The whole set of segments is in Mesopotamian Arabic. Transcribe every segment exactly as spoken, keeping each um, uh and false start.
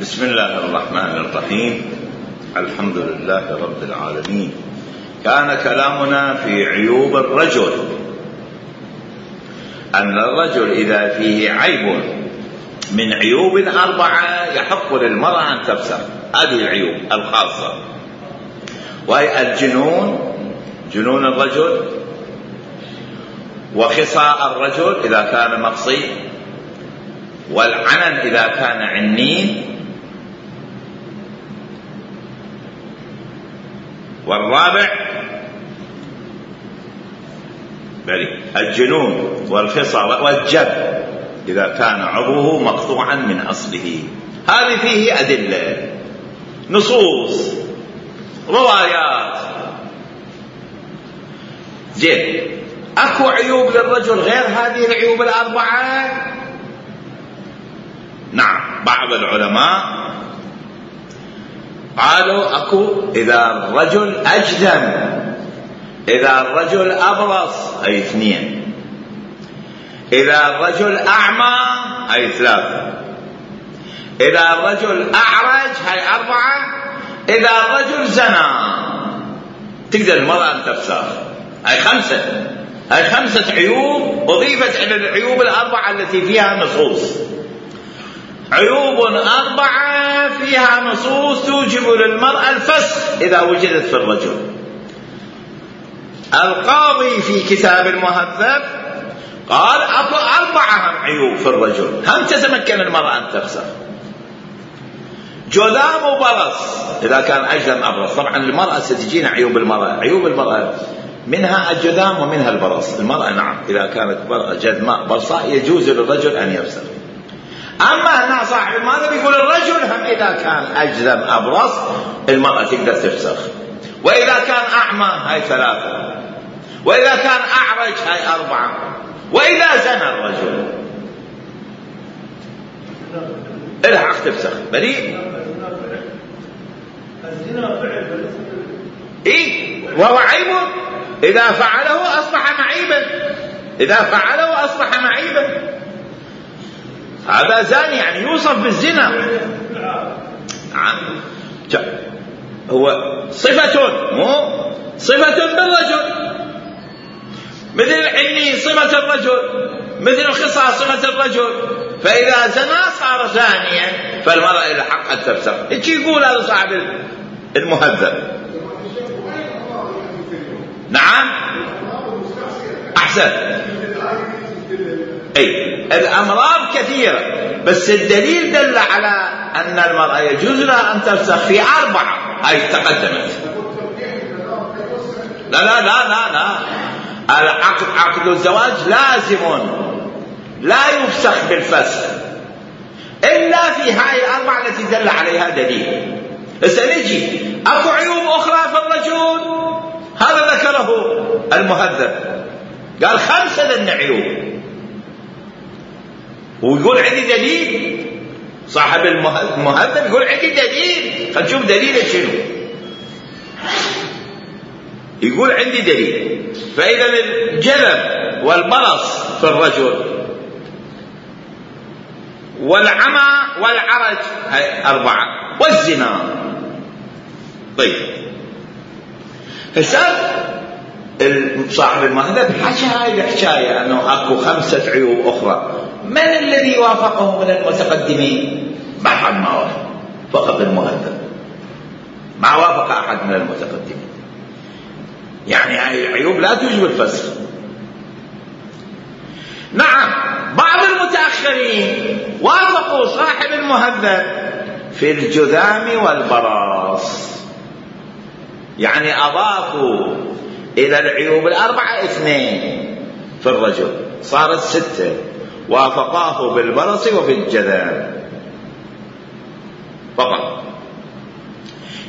بسم الله الرحمن الرحيم. الحمد لله رب العالمين. كان كلامنا في عيوب الرجل، أن الرجل إذا فيه عيب من عيوب أربعة يحق للمرأة أن تفسخ. هذه العيوب الخاصة، وهي الجنون، جنون الرجل، وخصاء الرجل إذا كان مقصي، والعنن إذا كان عنين، والرابع الجنون والخصاء والجب إذا كان عضوه مقطوعا من أصله. هذه فيه أدلة، نصوص، روايات. زين، أكو عيوب للرجل غير هذه العيوب الأربعة؟ نعم، بعض العلماء قالوا أكو إذا الرجل أجدم، إذا الرجل أبرص، أي اثنين، إذا الرجل أعمى، أي ثلاثة، إذا الرجل أعرج، هي أربعة، إذا الرجل زنى تقدر المرأة أن تفسخ. هي خمسة، هي خمسة عيوب أضيفت إلى العيوب الأربعة التي فيها نصوص. عيوب أربعة فيها نصوص توجب للمرأة الفسخ إذا وجدت في الرجل. القاضي في كتاب المهذب قال أكو أربعة عيوب في الرجل هم تتمكن المرأة أن تفسخ. جذام وبرص إذا كان أجدم أبرص. طبعا المرأة ستجينا عيوب المرأة، عيوب المرأة منها الجذام ومنها البرص. المرأة نعم إذا كانت جذماء برصاء يجوز للرجل أن يفسخ. أما هنا صاحب المهذب يقول الرجل هم إذا كان أجذم أبرص المرأة تقدر تفسخ، وإذا كان أعمى هاي ثلاثة، وإذا كان أعرج هاي أربعة، وإذا زنى الرجل إلها حق تفسخ. بريء إيه، وهو عيب إذا فعله أصبح معيبا، إذا فعله أصبح معيبا. هذا زاني يعني يوصف بالزنا. نعم، هو صفة، مو صفة بالرجل، مثل العني صفة الرجل، مثل الخصاء صفة الرجل. فإذا زنا صار زانيا فالمرأة إلى حق أن تفسخ. إيش يقول هذا صاحب المهذب؟ نعم، أحسن. أي الأمراض كثيرة، بس الدليل دل على أن المرأة يجوز لها أن تفسخ في أربعة، هاي تقدمت. لا لا لا لا لا العقد، عقد الزواج لازم لا يفسخ بالفسخ إلا في هاي الأربعة التي دل عليها دليل. سنجي أكو عيوب أخرى في الرجل، هذا ذكره المهذب، قال خمسة لنا عيوب، ويقول عندي دليل. صاحب المهذب يقول عندي دليل، خلينا نشوف دليله شنو. يقول عندي دليل. فإذا الجذب والبرص في الرجل، والعمى والعرج هاي أربعة، والزنا. طيب هسه صاحب المهذب حكى هاي الحكاية أنه أكو خمسة عيوب أخرى. من الذي وافقه من المتقدمين؟ ما حد ما وافق، فقط المهذب، ما وافق أحد من المتقدمين. يعني هاي العيوب لا توجب الفسخ. نعم، بعض المتأخرين وافقوا صاحب المهذب في الجذام والبراص، يعني أضافوا إلى العيوب الأربعة اثنين في الرجل، صارت ستة. وافقاه بالبرص وبالجذام فقط.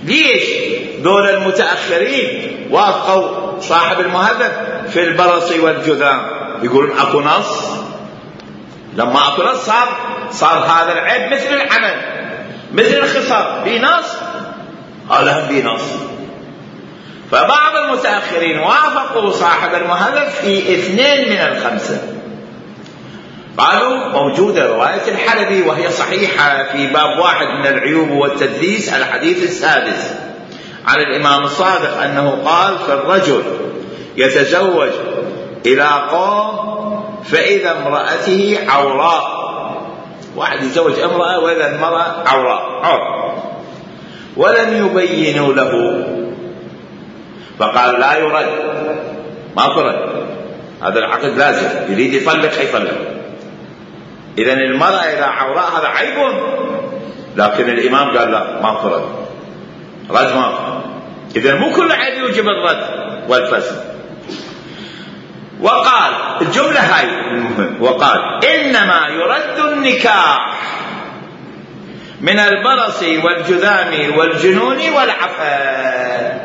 ليش دول المتأخرين وافقوا صاحب المهذب في البرص والجذام؟ يقولون اكو نص. لما اكو نص صار صار هذا العيب مثل العمل، مثل الخصام، في نص، هذا هم في نص. فبعض المتأخرين وافقوا صاحب المهذب في اثنين من الخمسة، قالوا موجودة رواية الحلبي وهي صحيحة في باب واحد من العيوب والتدليس الحديث السادس عن الإمام الصادق أنه قال: فالرجل يتزوج إلى قوم فإذا امرأته عوراء. واحد يتزوج امرأة وإذا المرأة عوراء عور ولم يبينوا له، فقال لا يرد، ما فرد، هذا العقد لازم، يريد يطلق يطلق. إذن المرأة إذا عوراء هذا عيب، لكن الإمام قال لا، ما فرد، رد ما فرد. إذن مو كل عيب يوجب الرد والفسخ. وقال الجملة هاي المهم، وقال: إنما يرد النكاح من البرص والجذام والجنون والعفن.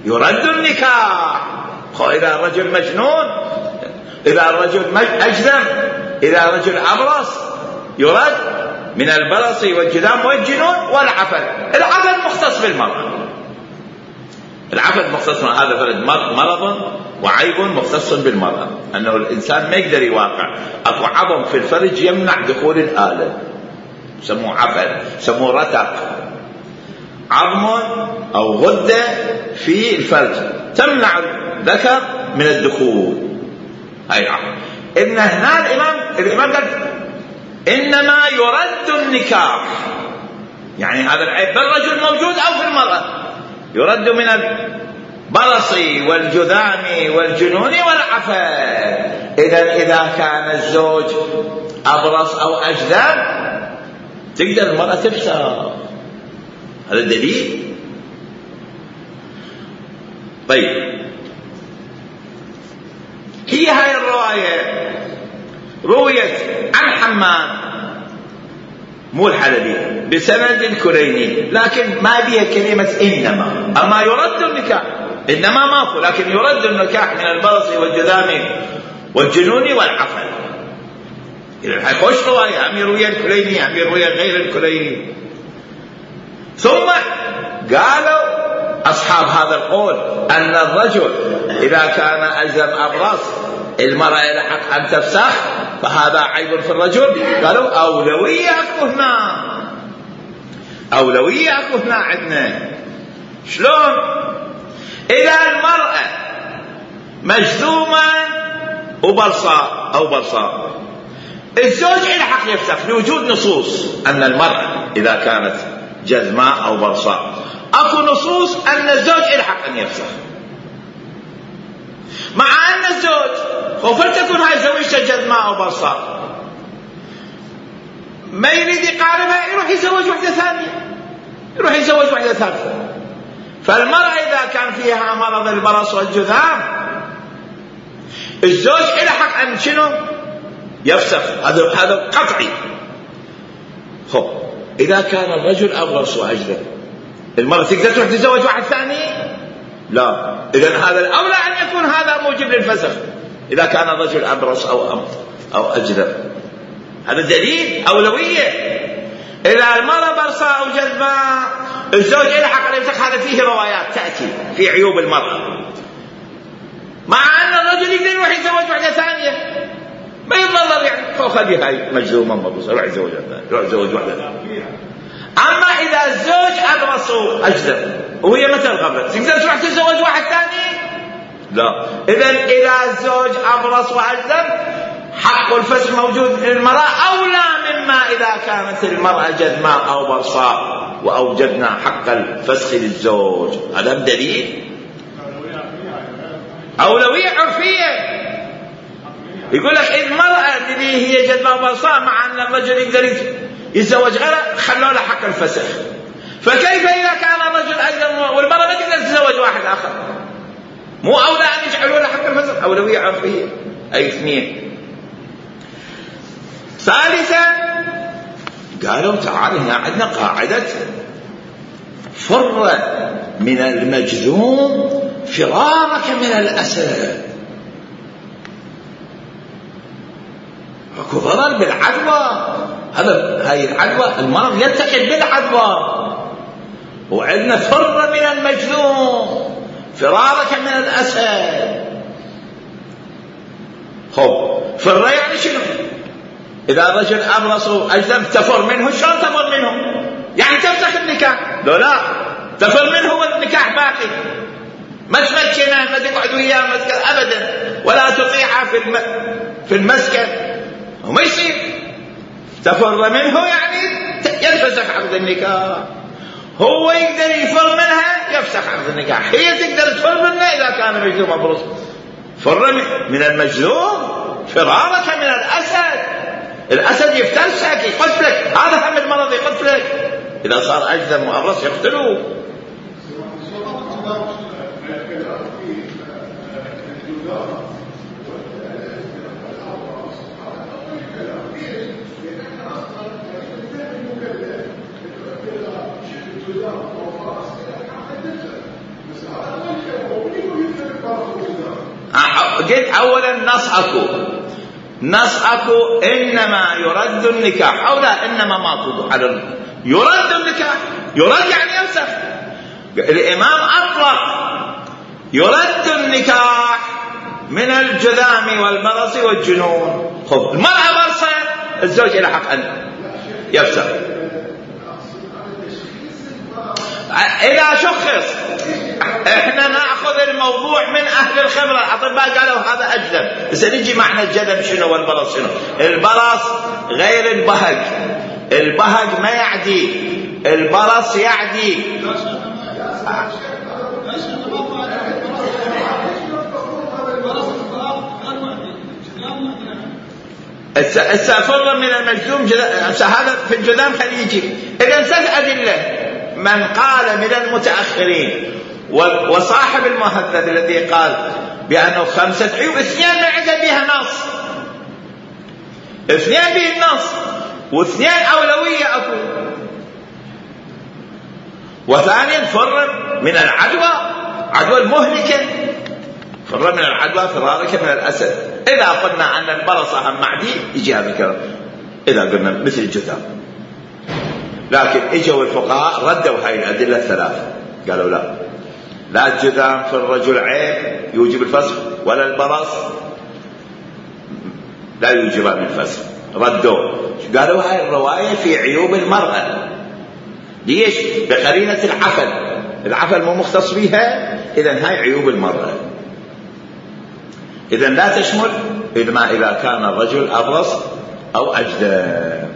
يرد النكاح. إذا الرجل مجنون، إذا الرجل أجذم، إذا الرجل أبرص يرد من البرص والجذام والجنون والعفن. العفن مختص بالمرأة، العفن مختص، هذا فرد مرض وعيب مختص بالمرأة، أنه الإنسان ما يقدر يواقع أكو عظم في الفرج يمنع دخول الآلة، سموه عفن، سموه رتق، عظم أو غدة في الفرج تمنع الذكر من الدخول، هاي عظم. إن هنا الإمام الإمام قال إنما يرد النكاح، يعني هذا العيب بالرجل موجود أو في المرأة، يرد من البرص والجذام والجنون والعفن. إذا إذا كان الزوج أبرص أو أجذام تقدر المرأة تفسخ، هذا دليل. طيب، هي هاي الرواية رويت عن حماد مو الحلبي بسند الكليني، لكن ما بيها كلمة إنما. أما يرد النكاح، إنما ماكو، لكن يرد النكاح من البرص والجذام والجنون والعفن. إذا حيخش رواية أم يروي الكليني أم يروي غير الكليني. ثم قالوا أصحاب هذا القول أن الرجل إذا كان أجذم أبرص المرأة لحق أن تفسخ، فهذا عيب في الرجل. قالوا أولوية أكو هنا، أولوية أكو هنا عندنا. شلون؟ إذا المرأة مجذومة وبرصاء أو برصاء، الزوج يلحق يفسخ لوجود نصوص أن المرأة إذا كانت جذماء أو برصاء، أكو نصوص أن الزوج يلحق أن يفسخ، مع أن الزوج وفلتكن هاي زوجته جذماء أو برصاء ما يريد يقاربها، يروح يزوج واحدة ثانية، يروح يزوج واحدة ثالثة. فالمرأة إذا كان فيها مرض البرص والجذام الزوج يلحق أن شنو؟ يفسخ، هذا هذا قطعي. خب إذا كان الرجل أبرص وأجذم المرأة تقدر تروح تتزوج واحد ثاني؟ لا. إذن هذا الأولى أن يكون هذا موجب للفسخ إذا كان الرجل أبرص أو أمط أو أجذم. هذا دليل أولوية. إذا المرأة برصاء أو جذماء الزوج يلحق على الفسخ، هذا فيه روايات تأتي في عيوب المرأة، مع أن الرجل يقدر يروح يتزوج واحدة ثانية ما يضلل، يعني فوق خلي هاي مجذومة مبرص يروح يتزوج يروح يتزوج واحدة ثانية. أما إذا الزوج أبرص وأجذم وهي مثل قبل تقدر تروح تتزوج واحد ثاني؟ لا. إذن إذا الزوج أبرص وأجذم حق الفسخ موجود للمرأة أولى مما إذا كانت المرأة جذماء أو برصاء وأوجدنا حق الفسخ للزوج. هذا دليل أولوية عرفية. يقول لك المرأة اللي هي جذماء وبرصاء مع أن الرجل يقدر يتزوج غيره خلوا له حق الفسخ، فكيف إذا كان الرجل أيضا والمرأة ما تقدر تتزوج واحد آخر؟ مو أولى أن يجعلوا له حق الفسخ؟ أولوية عرفية. أي اثنين. ثالثا قالوا تعال هنا عندنا قاعدة فر من المجذوم فرارك من الأسد. اكو ضرر بالعدوى، هذا هاي العدوى المرض يلتقط بالعدوى، وعندنا فر من المجذوم فرارك من الأسد. خب فر يعني شنو؟ إذا الرجل أبرص أجدم تفر منه، شلون تفر منه؟ يعني تفسخ النكاح؟ لو لا تفر منه والنكاح باقي، ما تمكنه، ما تقعد وياه مسكن أبدا، ولا تطيعه في الم... في المسكن، وما يصير. تفر منه يعني ينفسخ عقد النكاح. هو يقدر يفر منها يفسخ عقد النكاح، هي تقدر تفر منه إذا كان مجذوم أبرص. فر من المجذوم فرارك من الأسد، الأسد يفترسك يقتلك، هذا هم المرض يقتلك، إذا صار أجذم وأبرص يقتلوه. قلت أولا نصحكم نصحكم إنما يرد النكاح، أو لا إنما ما تضح على يرد النكاح، يرد يعني يفسخ. الإمام أطلق يرد النكاح من الجذام والبرص والجنون. خذ المرأة برصة الزوج إلى حق أن يفسخ إذا شخص. احنا ناخذ الموضوع من اهل الخبره، الاطباء قالوا هذا اجذب، بس نجي معنى الجذب شنو والبرص شنو. البرص غير البهج، البهج ما يعدي، البرص يعدي. السافر من المجذوم هذا في الجذام خليجي. اذا ثلاث ادله، من قال من المتأخرين وصاحب المهذب الذي قال بأنه خمسة عيوب، اثنين ما عنده بها نص، اثنين به النص، واثنين أولوية أكو. وثانيا فر من العدوى، عدوى المهلكة، فر من العدوى فرارك من الأسد. إذا قلنا أن البرص هم معدي يجي هذا الكلام، إذا قلنا مثل الجذام. لكن اجوا الفقهاء ردوا هاي الأدلة الثلاثة، قالوا لا، لا الجذام في الرجل عيب يوجب الفسخ، ولا البرص لا يوجب الفسخ. ردوا، قالوا هاي الرواية في عيوب المرأة. ليش؟ بقرينة العفل، العفل مو مختص بها، إذن هاي عيوب المرأة، إذن لا تشمل إذا إذا كان الرجل أبرص أو أجذام.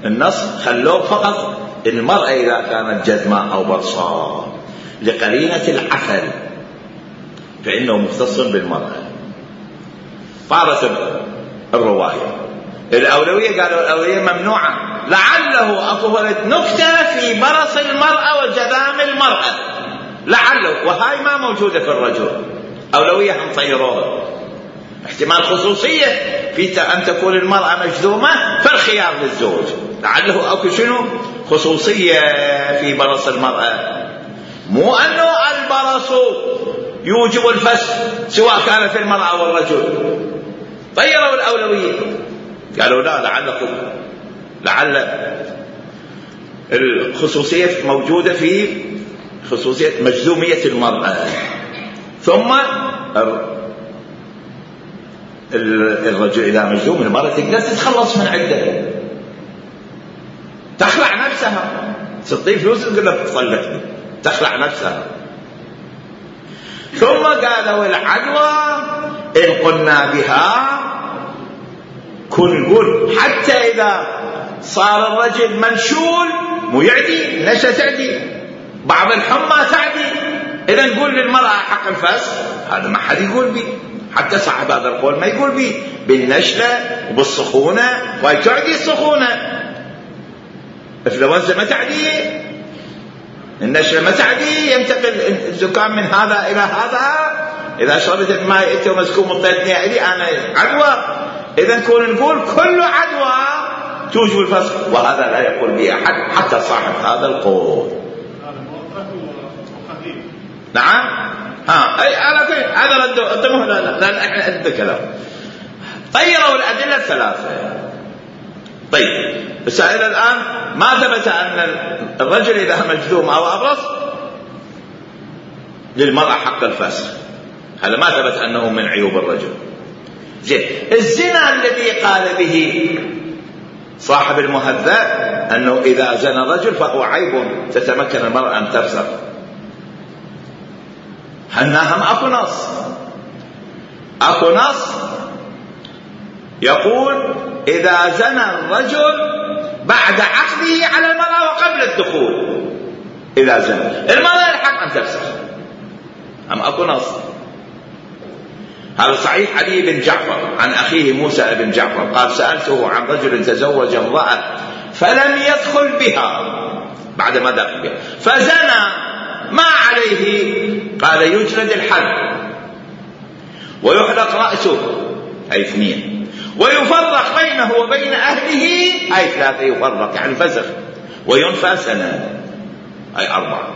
النص خلوه فقط المرأة إذا كانت جذماء أو برصاء لقرينة العفل، فإنه مختص بالمرأة. طارت الرواية. الأولوية قالوا الأولوية ممنوعة، لعله أطولت نكتة في برص المرأة وجذام المرأة، لعله، وهاي ما موجودة في الرجل. أولوية هم طيروها، احتمال خصوصية في أن تكون المرأة مجذومة، فالخيار للزوج، لعله أكو شنو خصوصية في برص المرأة، مو أنه البرص يوجب الفسخ سواء كان في المرأة أو الرجل. طيروا الأولوية، قالوا لا، لعلكم لعل الخصوصية موجودة في خصوصية مجذومية المرأة. ثم الرجل إذا مجذوم المرأة تقدر تتخلص من عدة، تخلع نفسها، تعطيه فلوس تقول له طلقني، تخلع نفسها. ثم قالوا العدوى إن قلنا بها كن نقول حتى إذا صار الرجل منشول مو يعدي، نشأ تعدي، بعض الحمى تعدي، إذا نقول للمرأة حق الفسخ، هذا ما حد يقول به، حتى صاحب هذا القول ما يقول به، بالنشلة وبالسخونة، وهي تعدي السخونة. الإنفلونزا ما تعدي، النشلة ما تعدي، ينتقل الزكام من هذا إلى هذا، إذا شربت الماء أنت ومسكوم الطيتني إلي أنا عدوى. إذا نكون نقول كل عدوى توجب الفسخ، وهذا لا يقول به أحد حتى صاحب هذا القول. نعم، ها أي على كل هذا ردوا قدموه، لا لا لا إحنا أدب كلام. طيروا الأدلة الثلاثة. طيب السائل الآن ما ثبت أن الرجل إذا مجذوم أو أبرص للمرأة حق الفسخ، هذا ما ثبت أنه من عيوب الرجل. زين، الزنا الذي قال به صاحب المهذب أنه إذا زنى الرجل فهو عيب تتمكن المرأة أن تفسخ. هناهم أكو نص أكو نص يقول إذا زنى الرجل بعد عقده على المرأة وقبل الدخول، إذا زنى المرأة الحق أن تفسخ. أم أكو نص. هذا صحيح علي بن جعفر عن أخيه موسى بن جعفر قال سألته عن رجل تزوج امرأة فلم يدخل بها بعد ما دخل بها فزنى، ما عليه؟ قال يجلد الحد ويحلق رأسه، أي اثنين، ويفرق بينه وبين أهله، أي ثلاثة، يفرق يعني فسخ، وينفى سنة، أي أربعة.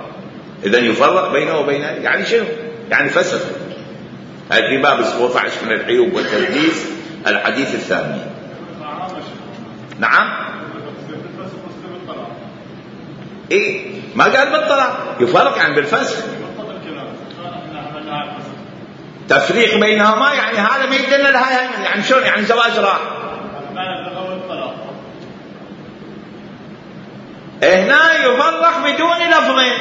إذن يفرق بينه وبين أهله يعني شنو؟ يعني فسخ. هذا في باب سبعة عشر من العيوب والتلبيس الحديث الثاني. نعم. إيه ما قال بالطلاق، يفرق يعني بالفسخ. تفريق بينهما يعني هذا ما يدلنا لها، يعني شلون يعني زواج راح. هنا يفرق بدون لفظين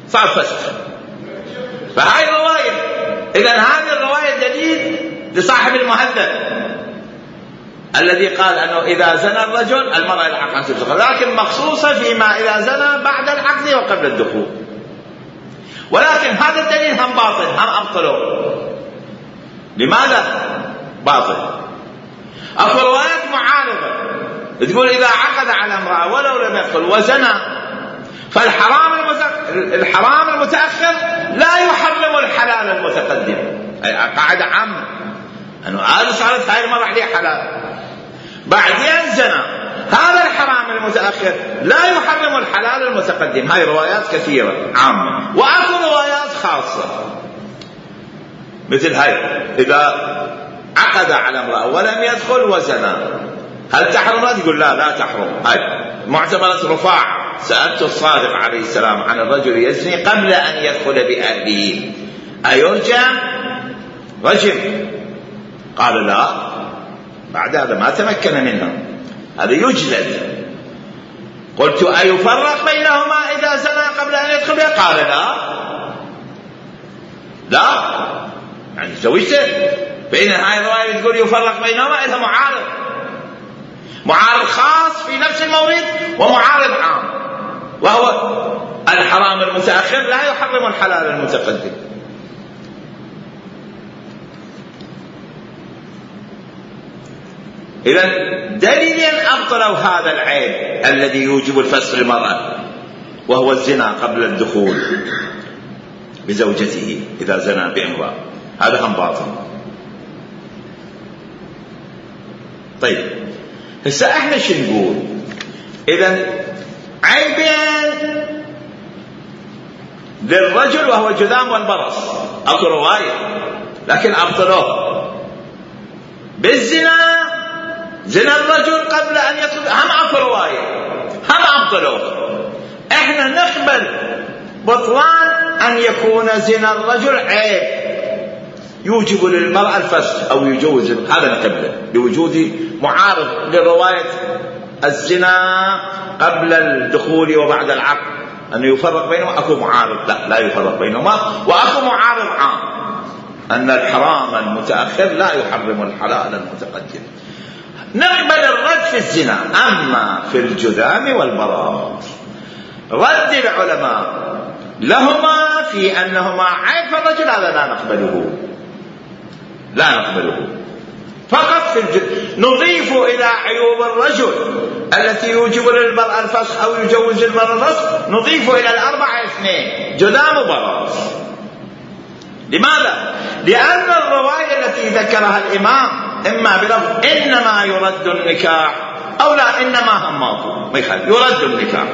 صار فسخ. فهاي الرواية، إذن هذه الرواية دليل لصاحب المهذب الذي قال أنه إذا زنى الرجل المرأة الحق أن تفسخ، لكن مخصوصة فيما إذا زنى بعد العقد وقبل الدخول. ولكن هذا الدليل هم باطل، هم أبطلوا. لماذا باطل؟ أكو روايات معارضة تقول إذا عقد على امرأة ولو لم يدخل وزنى فالحرام الحرام المتأخر لا يحرم الحلال المتقدم. أي قاعدة عامة أنه هذا صارت هاي المرة عليه حلال، بعدين زنا، هذا الحرام المتأخر لا يحرم الحلال المتقدم. هاي روايات كثيرة عامة، وأكو روايات خاصة مثل هاي إذا عقد على امرأة ولم يدخل وزنا هل تحرم؟ لا تقول لا لا تحرم. هاي معتبرة رفاع سألت الصادق عليه السلام عن الرجل يزني قبل أن يدخل بأهله أيرجم رجم؟ قال لا، بعد هذا ما تمكن منها هذا يجلد. قلت أيفرق بينهما إذا زنى قبل أن يدخل بها؟ قال لا لا، يعني زوجته. بين هاي الرواية تقول يفرق بينهما إذا معارض، معارض خاص في نفس المورد ومعارض عام، وهو الحرام المتأخر لا يحرم الحلال المتقدم. إذن دليلين أبطلوا هذا العيب الذي يوجب الفسخ للمرأة، وهو الزنا قبل الدخول بزوجته إذا زنى بامرأة، هذا هم باطل. طيب هسه احنا شو نقول؟ إذن عيبين للرجل وهو الجذام والبرص، أكو رواية لكن أبطلوه بالزنا، زنا الرجل قبل أن يدخل، هم أكو رواية هم أبطلوه. احنا نقبل بطلان أن يكون زنا الرجل عيب يوجب للمرأة الفسخ أو يجوز، هذا نقبله بوجود معارض لرواية الزنا قبل الدخول وبعد العقد أنه يفرق بينهما. أكو معارض لا لا يفرق بينهما، وأكو معارض عام أن الحرام المتأخر لا يحرم الحلال المتقدم. نقبل الرد في الزنا، أما في الجذام والبراء رد العلماء لهما في أنهما عيب الرجل، هذا لا نقبله لا نقبله فقط في الجد. نضيف إلى عيوب الرجل التي يوجب للمرأة الفسخ أو يجوز المرأة الفسخ، نضيف إلى الأربعة اثنين جذام وبراء. لماذا؟ لأن الرواية التي ذكرها الإمام إما بلفظ إنما يرد النكاح أو لا إنما هماته ما يخالف، يرد النكاح،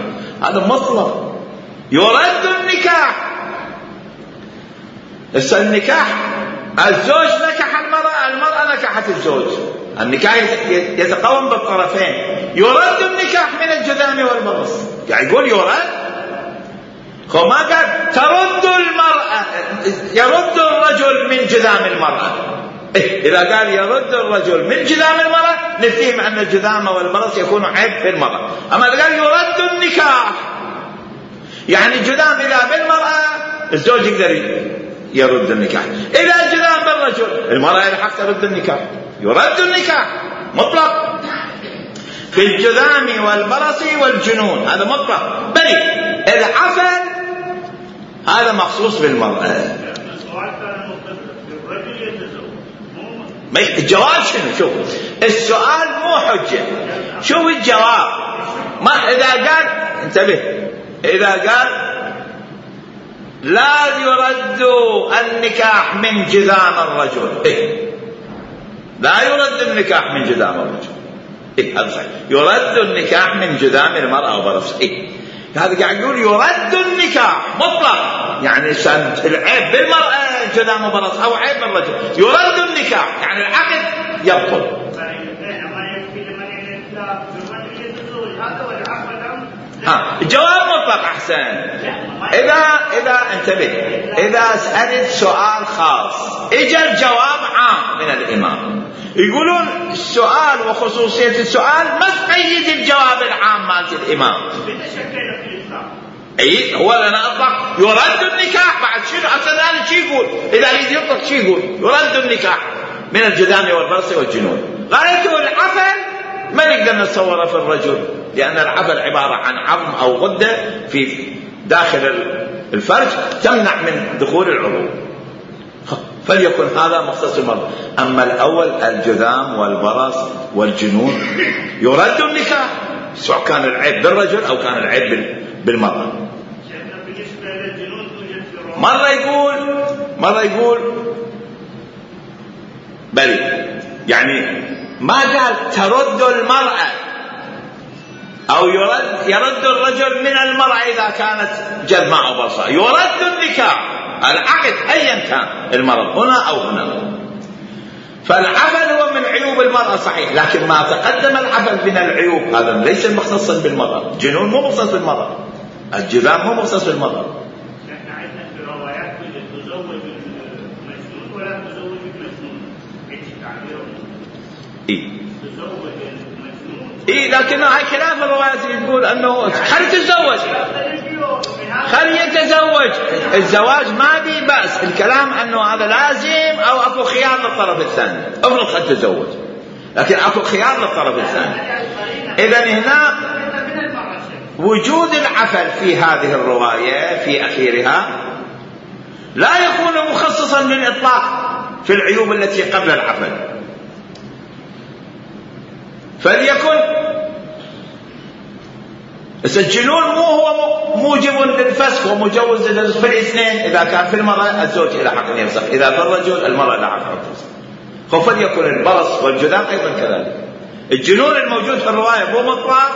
هذا مطلق يرد النكاح. هسه النكاح الزوج نكح المرأة، المرأة نكحت الزوج، النكاح يتقوم بالطرفين. يرد النكاح من الجذام والبرص، يعني يقول يرد، هو ما قال ترد المرأة، يرد الرجل من جذام المرأة، إيه إذا قال يرد الرجل من جذام المرأة نفهم أن الجذام والبرص يكون عيب في المرأة. أما إذا قال يرد النكاح يعني الجذام إذا بالمرأة الزوج يقدر يرد النكاح، إذا الجذام بالرجل المرأة يلحق ترد النكاح، يرد النكاح مطلق في الجذام والبرص والجنون، هذا مطلق. بل العفن هذا مخصوص بالمرأة. الجواب شنو؟ شوف السؤال مو حجة، شوف الجواب. ما إذا قال انتبه، إذا قال لا يرد النكاح من جذام الرجل، إيه؟ لا يرد النكاح من جذام الرجل، إيه؟ هذا صحيح. يرد النكاح من جذام المرأة وبرص، إيه؟ هذا قاعد يقول يرد النكاح مطلق، يعني العيب بالمرأة جذام وبرص أو عيب بالرجل، يرد النكاح يعني العقد يبطل. ها الجواب مطلق أحسن. إذا إذا انتبه، إذا سألت سؤال خاص إجا الجواب عام من الإمام، يقولون السؤال وخصوصية السؤال ما تقيد الجواب العام مالت الإمام. أي هو لنا أطلق يرد النكاح بعد شنو أصلا شو يقول؟ إذا يريد يطلق شو يقول؟ يرد النكاح من الجذام والبرص والجنون. قالته العفن ما نقدر نتصوره في الرجل، لأن العفن عبارة عن عظم أو غدة في داخل الفرج تمنع من دخول العروق، فليكن هذا مختص المرأة. أما الأول الجذام والبرص والجنون يرد النكاح سواء كان العيب بالرجل أو كان العيب بالمرأة. مرة يقول مرة يقول بل يعني ما قال ترد المرأة أو يرد يرد الرجل من المرأة إذا كانت جذماء أو برصاء، يرد النكاح العقد أيا كان المرض هنا أو هنا. فالعفن هو من عيوب المرأة صحيح، لكن ما تقدم العفن من العيوب هذا ليس مختصا بالمرأة. الجنون مو مختص بالمرأة، الجذام مو مختص بالمرأة. احنا عندنا في الروايات تزوج المجنون ولا تزوج المجنون، ايش تعبيره؟ اي تزوج المجنون اي لكن هاي كلام الروايات يقول انه خلي تتزوج، خلي يتزوج. الزواج ما بي بأس، الكلام انه هذا لازم او اكو خيار للطرف الثاني. افرض خد تتزوج لكن اكو خيار للطرف الثاني. اذا هنا وجود العفن في هذه الرواية في أخيرها لا يكون مخصصا للإطلاق في العيوب التي قبل العفن، فليكن الجنون مو هو موجب للفسخ ومجوز للفسخ في الاثنين. إذا كان في المرأة الزوج إلى حق أن يفسخ، إذا في الرجل المرأة لا حق أن تفسخ. فليكن البرص والجذام أيضا كذلك. الجنون الموجود في الرواية مو مطلق،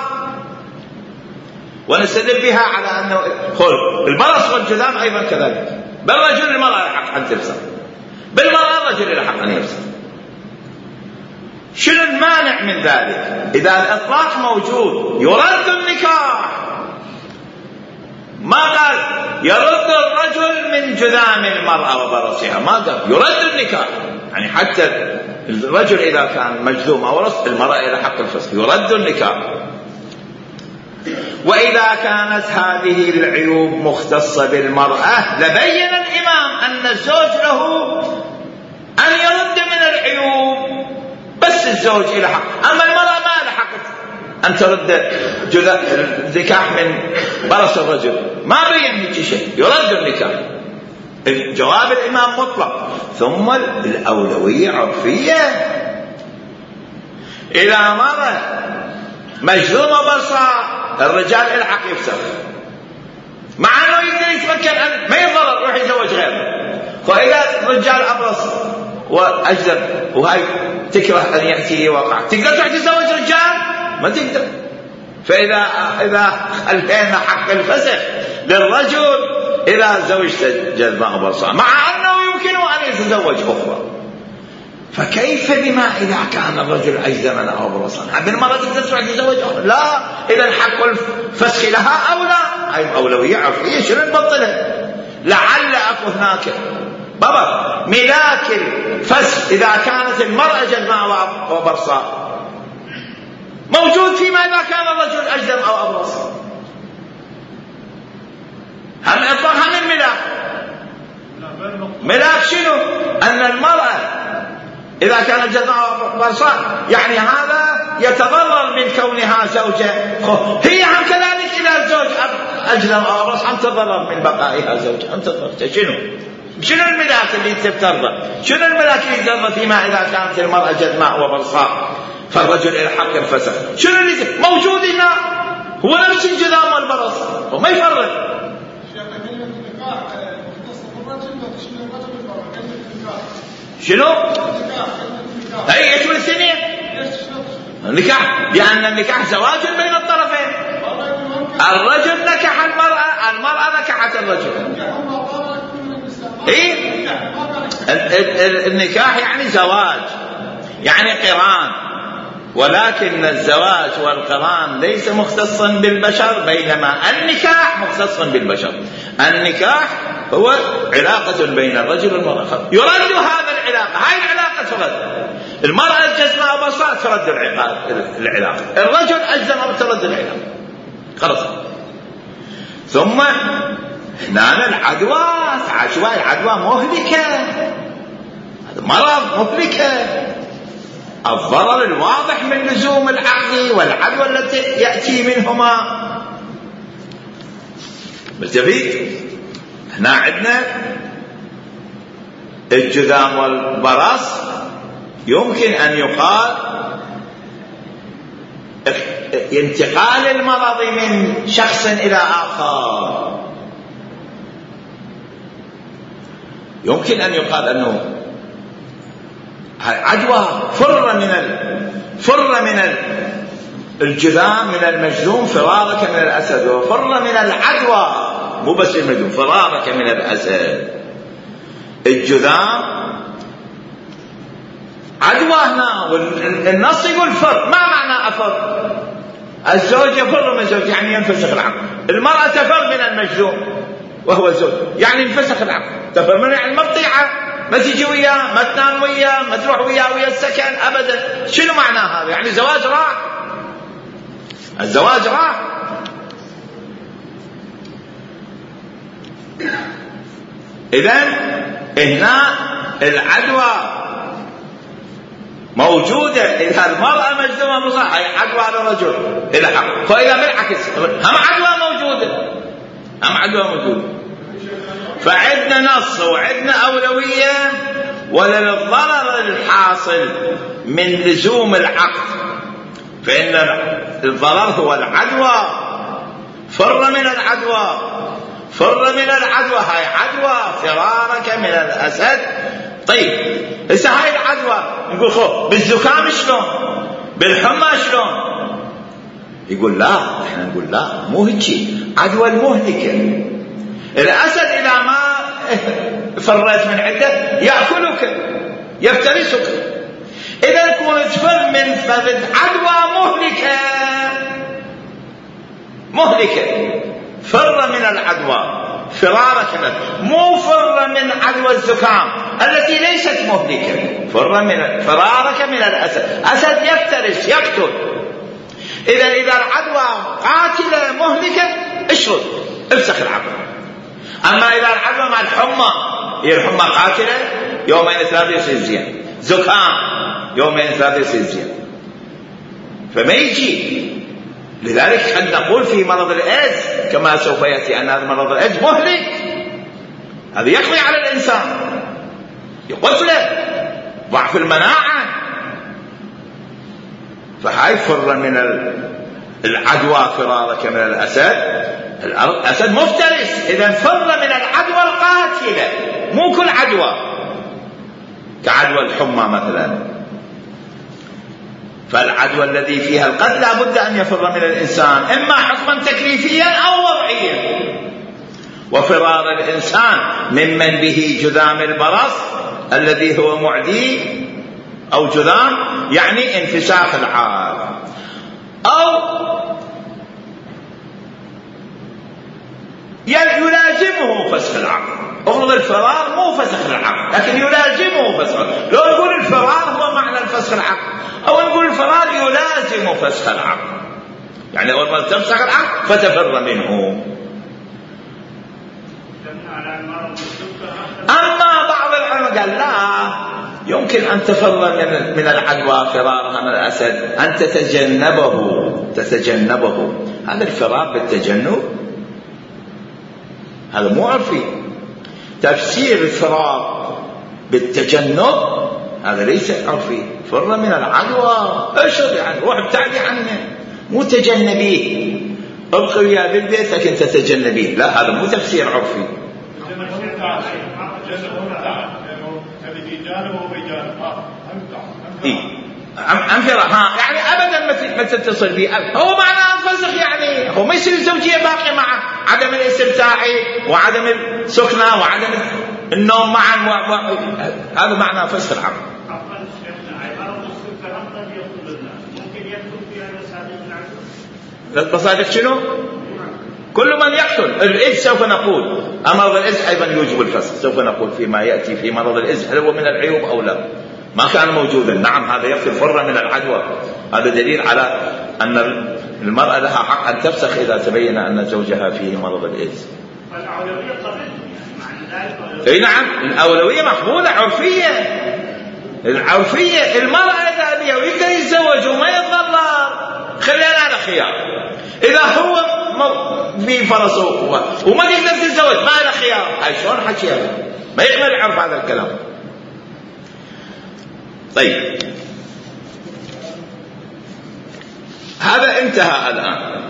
ونستدل بها على أنه خل البرص والجذام أيضا كذلك. بالرجل المرأة لحق أن تفسخ، بالمرأة الرجل لحق أن يفسخ. شنو المانع من ذلك؟ إذا الإطلاق موجود يرد النكاح، ما قال يرد الرجل من جذام المرأة وبرصها، ما قال يرد النكاح. يعني حتى الرجل إذا كان مجذوم أو رص المرأة إلى حق الفسخ يرد النكاح. وإذا كانت هذه العيوب مختصة بالمرأة لبين الإمام أن الزوج له أن يرد من العيوب، بس الزوج إلى حق. أما المرأة ما لها حق أن ترد النكاح من برص الرجل، ما بين هيك شيء، يرد النكاح. جواب الإمام مطلق. ثم الأولوية عرفية. إذا مرة مجذومة برصة الرجال الحق يفسخ، مع أنه يقدر يتمكن أن ما يضرر يروح يتزوج غيره. فإذا الرجال أبرص وأجذب وهاي تكره أن يأتي وقع، تقدر تروح تتزوج رجال؟ ما تقدر. فإذا إذا خلينا حق الفسخ للرجل إذا زوجت جذماء برصة، مع أنه يمكن أن يتزوج أخرى. فكيف بما إذا كان الرجل أجذما أو برصا؟ بالمرة تقدر تروح تتزوج أخرى؟ لا، إذا حق الفسخ لها أو لا. هاي أولوية عرفية، شنو نبطلها؟ لعل أكو هناك بابا ملاك الفسخ إذا كانت المرأة جزماء وبرصاء موجود فيما إذا كان الرجل أجدم أو أبرص. هم إطلاق هم الملاك. ملاك شنو؟ أن المرأة إذا كانت جزماء وبرصاء يعني هذا يتضرر من كونها زوجة، هي هم كذلك إذا الزوج أجدم أو أبرص هم تضرر من بقائها زوجة، هم تضرر. شنو؟ شنو الملاك اللي تتضرر؟ شنو الملاك اللي يتضرر فيما إذا كانت المرأة جزماء وبرصاء فالرجل الحق الفسخ؟ شنو اللي موجود هنا؟ هو نفس الجذام والبرص وما يفرق. شنو؟ اي يشمل الاثنين. النكاح لأن النكاح زواج بين الطرفين. الرجل نكح المرأة، المرأة نكحت الرجل. اي النكاح يعني زواج، يعني قران، ولكن الزواج والقران ليس مختصا بالبشر، بينما النكاح مختص بالبشر. النكاح هو علاقة بين الرجل والمرأة، يرد هذا العلاقة، هاي العلاقة ترد. المرأة الجزماء وبرصاء ترد العلاقة، الرجل أجزم أو ترد العلاقة، خلاص. ثم هنا العدوى، عدوى العدوى مهلكة، هذا مرض مهلكة. الضرر الواضح من لزوم العقد والعدوى التي يأتي منهما مستفيد. هنا عندنا الجذام والبرص يمكن أن يقال انتقال المرض من شخص إلى آخر، يمكن أن يقال أنه عدوى فر من ال... فر من ال... الجذام من المجذوم فرارك من الأسد، وفر من العدوى مو بس المجذوم، فرارك من الأسد. الجذام عدوى هنا، والنص يقول فر. ما معنى أفر؟ الزوج يفر من زوج يعني ينفسخ العقد، المرأة تفر من المجذوم وهو الزوج يعني ينفسخ العقد. تفر من يعني مقطيعة، ما تجي وياه، ما تنام وياه، ما تروح وياه ويا السكن أبدا. شنو معنى هذا؟ يعني الزواج راح، الزواج راح. إذن هنا العدوى موجودة. إذا المرأة مجذومة بصح هي عدوى على الرجل إلى حق، فإذا بالعكس هم عدوى موجودة، هم عدوى موجودة. فعندنا نص وعندنا أولوية وللضرر الحاصل من لزوم العقد، فإن الضرر هو العدوى. فر من العدوى، فر من العدوى، هاي عدوى فرارك من الأسد. طيب هسه هاي العدوى نقول خو بالزكام شلون؟ بالحمى شلون؟ يقول لا، احنا نقول لا مو هيك، عدوى المهلكة. الأسد إذا ما فرت من عنده يأكلك يفترسك. إذا كنت تفر من فضل عدوى مهلكة، مهلكة، فر من العدوى فرارك منه، مو فر من عدوى الزكام التي ليست مهلكة، فر من فرارك من الأسد. أسد يفترس يقتل. إذا إذا العدوى قاتلة مهلكة اشرد افسخ العقد. أما إذا العدوى مع الحمى، هي الحمى قاتلة يومين ثلاثة يصير زين، زكام يومين ثلاثة يصير زين، فما يجي. لذلك قد نقول في مرض الإيدز كما سوف يأتي أن هذا مرض الإيدز مهلك، هذا يقضي على الإنسان، يقتله، ضعف المناعة. فهاي فر من العدوى فرارك من الأسد. الأسد مفترس، إذا فر من العدوى القاتلة، مو كل عدوى كعدوى الحمى مثلا. فالعدوى الذي فيها القتل لا بد أن يفر من الإنسان، إما حكما تكليفيا أو وضعيا. وفرار الإنسان ممن به جذام البرص الذي هو معدي أو جذام يعني انفساخ العاد، أو يلازمه فسخ العقد. افرض الفرار مو فسخ العقد لكن يلازمه فسخ. لو نقول الفرار هو معنى الفسخ العقد، او نقول الفرار يلازم فسخ العقد، يعني اول ما تفسخ العقد فتفر منه. اما بعض العلماء قال لا، يمكن ان تفر من من العدوى فرارها من الاسد، ان تتجنبه تتجنبه هذا الفرار بالتجنب هذا مو عرفي. تفسير الفرار بالتجنب هذا ليس عرفي. فر من العدوى اشرب يعني روح ابتعدي عنه، مو تجنبيه. ابقي وياه بالبيت لكن تتجنبيه، لا هذا مو تفسير عرفي. عن فرار ها يعني ابدا ما تتصل به. هو معناه فسخ يعني هو ما يصير الزوجيه باقيه معه، عدم الاستمتاع وعدم السكنه وعدم النوم معا، هذا معناه فسخ العقد. المصادق شنو؟ كل من يقتل الإذ سوف نقول أمر الإذ أيضا يوجب الفسخ، سوف نقول فيما يأتي في مرض الإذ هل هو من العيوب أو لا. ما كان موجودا نعم هذا يكفي فر من العدوى. هذا دليل على أن المرأة لها حق أن تفسخ إذا تبين أن زوجها فيه مرض الإذ. فالأولوية قبل اي نعم الأولوية مقبولة عرفية. العرفية المرأة إذا أبيها ويقدر يتزوج وما يتضرر خلينا على خيار. إذا هو في فرصه وما يقدر يتزوج ما له خيار، هاي شلون حكيها؟ ما يقدر يعرف هذا الكلام. طيب هذا انتهى الآن،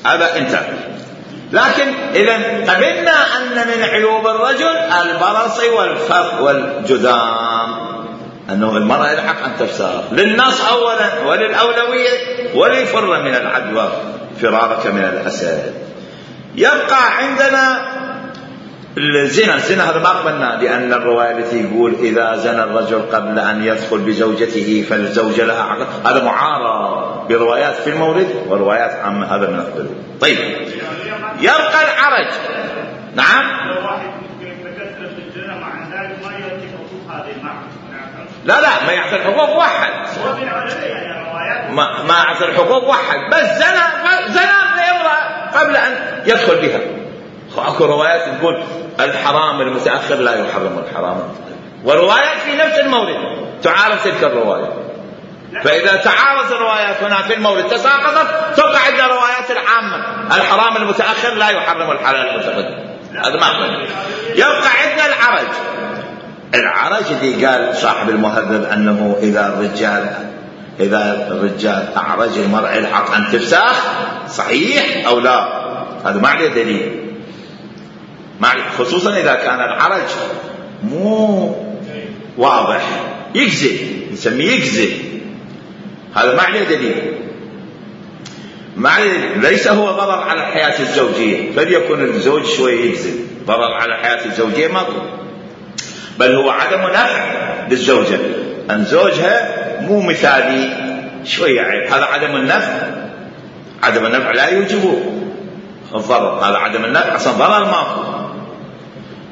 هذا انتهى. لكن إذا قبلنا أن من عيوب الرجل البرص والفرق والجذام، أنه المرأة الحق أن تفسخ للنص أولا وللأولوية وليفر من العدوى فرارك من الأسد. يبقى عندنا الزنا. الزنا هذا ما قبلنا، لأن الرواية التي يقول إذا زنى الرجل قبل أن يدخل بزوجته فالزوجة لها عقد، هذا معارض بروايات في المورد وروايات عامة، هذا بنقبله. طيب يبقى العرج. نعم لا لا ما يعطي الحقوق واحد، ما ما يعطي الحقوق واحد، بس زنا زنا بامرأة قبل أن يدخل بها. اكو روايات تقول الحرام المتأخر لا يحرم الحرام، وروايات في نفس المورد تعارض تلك الرواية. فإذا تعارض الروايات هنا في المورد تساقطت، تبقى عندنا روايات العامة الحرام المتأخر لا يحرم الحلال المتقدم. هذا ما أقبل. يبقى عندنا العرج. العرج اللي قال صاحب المهذب أنه إذا الرجال إذا الرجال أعرج المرأة الحق أن تفسخ، صحيح أو لا؟ هذا ما عليه دليل، خصوصا إذا كان العرج مو واضح يكذب، نسميه يكذب، هذا ما عليه دليل. ما عليه، ليس هو ضرر على الحياة الزوجية، فليكن الزوج شوي يكذب، ضرر على الحياة الزوجية ماكو، بل هو عدم نفع للزوجة أن زوجها مو مثالي شوية عيب، هذا عدم النفع. عدم النفع لا يوجب الضرر، هذا عدم النفع أصلا ضرر ماكو.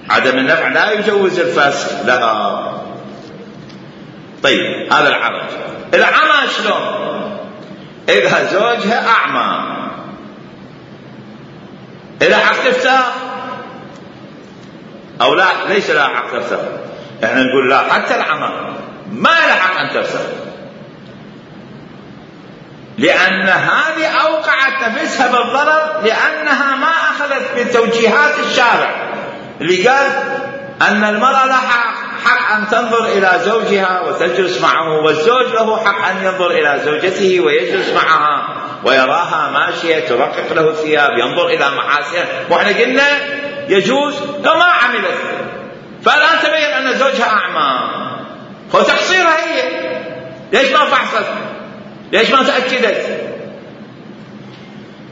عدم النفع لا يجوز الفسخ لها. طيب هذا العرج. العمى شلون؟ إذا زوجها أعمى إذا حق تفسخ أو لا؟ ليس لها حق تفسخ. احنا نقول لا، حتى العمى ما لها حق أن تفسخ، لأن هذه أوقعت نفسها بالضرر، لأنها ما أخذت بتوجيهات الشارع اللي قال أن المرأة لها حق أن تنظر إلى زوجها وتجلس معه، والزوج له حق أن ينظر إلى زوجته ويجلس معها ويراها ماشية ترقق له الثياب، ينظر إلى محاسنها. وإحنا قلنا يجوز لو ما عملت، فالآن تبين أن زوجها أعمى، هو تقصيرها هي، ليش ما فحصت؟ ليش ما تأكدت؟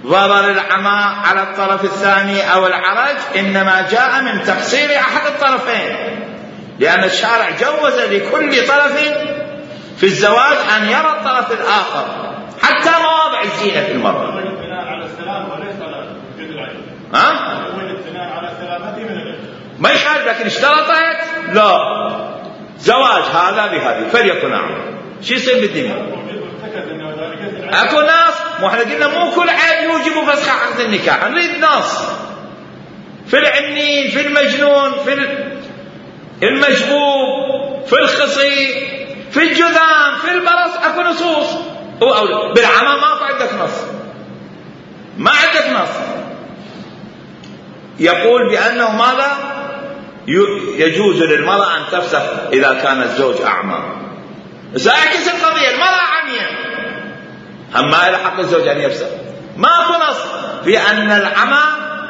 ضرر العمى على الطرف الثاني أو العرج إنما جاء من تقصير أحد الطرفين، لأن الشارع جوز لكل طرف في الزواج أن يرى الطرف الآخر حتى مواضع الزينة في المرأة. على السلام وليس على جد العين. ها؟ على سلامته من العين. ما يخالف، لكن اشترطت لا زواج هذا بهذه فليكن أعمى. شو يصير بالدنيا؟ اكو ناس، مو احنا قلنا مو كل عيب يوجب فسخ عقد النكاح، نريد ناس في العنين، في المجنون، في المجبوب، في الخصي، في الجذام، في البرص، اكو نصوص. بالعمى ما عندك نص، ما عندك نص يقول بأنه ماذا يجوز للمرأة أن تفسخ إذا كان الزوج أعمى. سأعكس القضية، المرأة عمياء هم ما إلى حق الزوج أن يفسخ، ماكو نص في أن العمى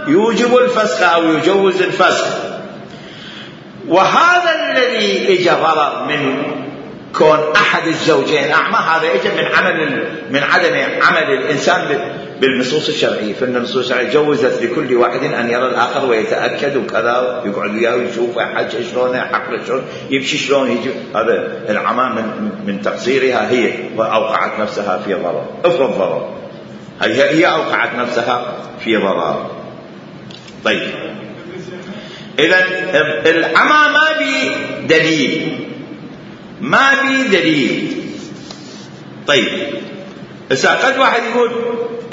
يوجب الفسخ أو يجوز الفسخ. وهذا الذي اجى ضرر من كون أحد الزوجين أعمى، هذا اجى من عمل من عدم عمل الإنسان بالنصوص الشرعية. فإن النصوص الشرعية جوزت لكل واحد أن يرى الآخر ويتأكد وكذا، يقعد وياه ويشوف حج شلون، حقل شلون، يمشي شلون، يجي. هذا العمى من من تقصيرها هي، وأوقعت نفسها في ضرر. افرض ضرر، هي هي أوقعت نفسها في ضرر. طيب إذا العمى ما بي دليل، ما بي دليل. طيب إذا قد واحد يقول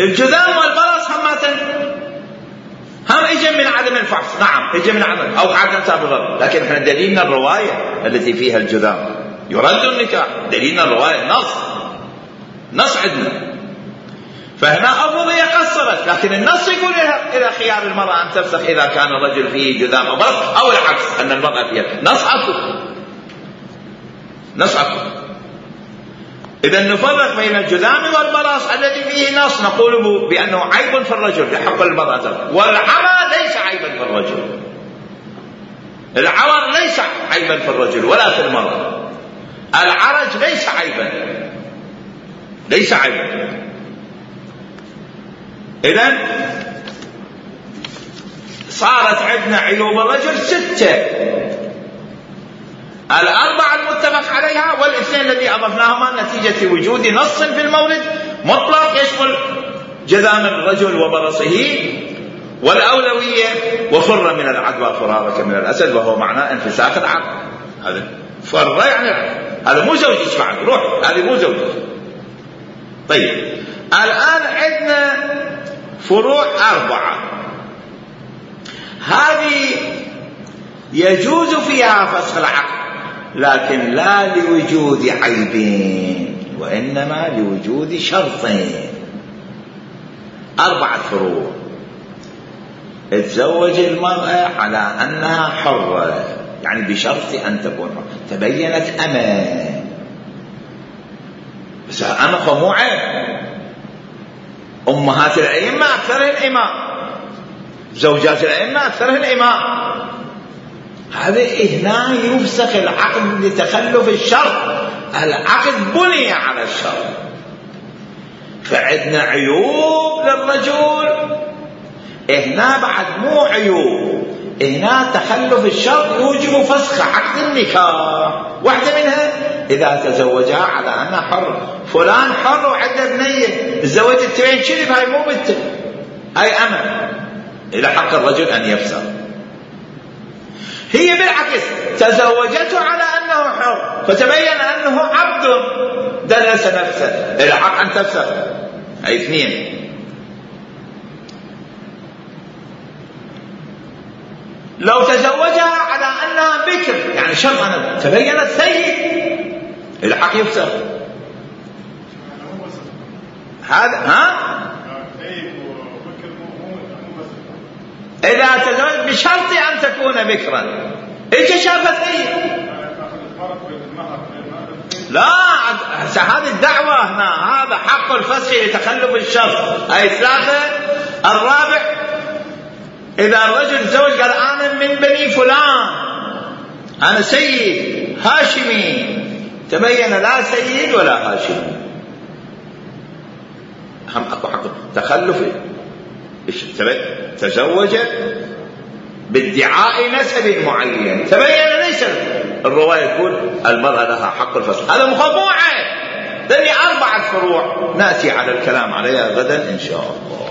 الجذام والبرص هماتن هم اجى من عدم الفحص، نعم اجى من عدم او عدم سابقا، لكن احنا دليلنا الروايه التي فيها الجذام يرد النكاح، دليلنا الروايه نص نص عندنا. فهنا الرضية قصرت، لكن النص يقول الى خيار المرأة ان تفسخ اذا كان الرجل فيه جذام او برص، او العكس ان المرأة فيها. نص اكو، نص اكو. إذا نفرق بين الجذام والبرص الذي فيه نص نقول بأنه عيب في الرجل يحق المرأة، والعمى ليس عيبا في الرجل. العور ليس عيبا في الرجل ولا في المرأة. العرج ليس عيبا، ليس عيبا. إذن صارت عندنا عيوب الرجل ستة: الأربعة المتفق عليها والاثنين الذي أضفناهما نتيجة وجود نص في المورد مطلق يشمل جذام الرجل وبرصه، والأولوية وفر من العدوى فرارك من الأسد، وهو معناه انفساخ العقل. هذا فر يعني هذا مو زوجك بعد، روح هذه مو زوجك. طيب الآن عندنا فروع أربعة، هذه يجوز فيها فسخ العقل لكن لا لوجود عيبين وإنما لوجود شرطين. أربعة فروع: تزوج المرأة على أنها حرة، يعني بشرط أن تكون حرة، تبينت أمة، بس أمة مو عيب. أمهات الأئمة أكثرهن إماء، زوجات الأئمة أكثرهن إماء. هذا هنا يفسخ العقد لتخلف الشرط، العقد بني على الشرط. فعندنا عيوب للرجل، هنا بعد مو عيوب، هنا تخلف الشرط يوجب فسخ عقد النكاح. واحدة منها إذا تزوجها على أنها حر، فلان حر وعنده بنية، تزوجت التبين شرب، هاي مو بنت، هاي أمة، إلى حق الرجل أن يفسخ. هي بالعكس تزوجته على أنه حر فتبين أنه عبد دنس نفسه، إلى حق أن تفسخ. هاي اثنين. لو تزوجها على أنها بكر، يعني شرط أنا تبينت سيد، إلى حق يفسخ. هذا ها إذا تزوج بشرط أن تكون بكرا. إيش شافت سيد؟ لا، هذه الدعوة هنا، هذا حق الفسخ لتخلف الشرط. أي ثلاثة. الرابع: إذا الرجل تزوج قال أنا من بني فلان، أنا سيد هاشمي، تبين لا سيد ولا هاشمي، هم أكو حق تخلف. تزوج بادعاء نسب معين، تبين ليس. الرواية تقول المرأة لها حق الفسخ. هذا مخبوعة. ذني أربعة فروع نأتي على الكلام عليها غدا إن شاء الله.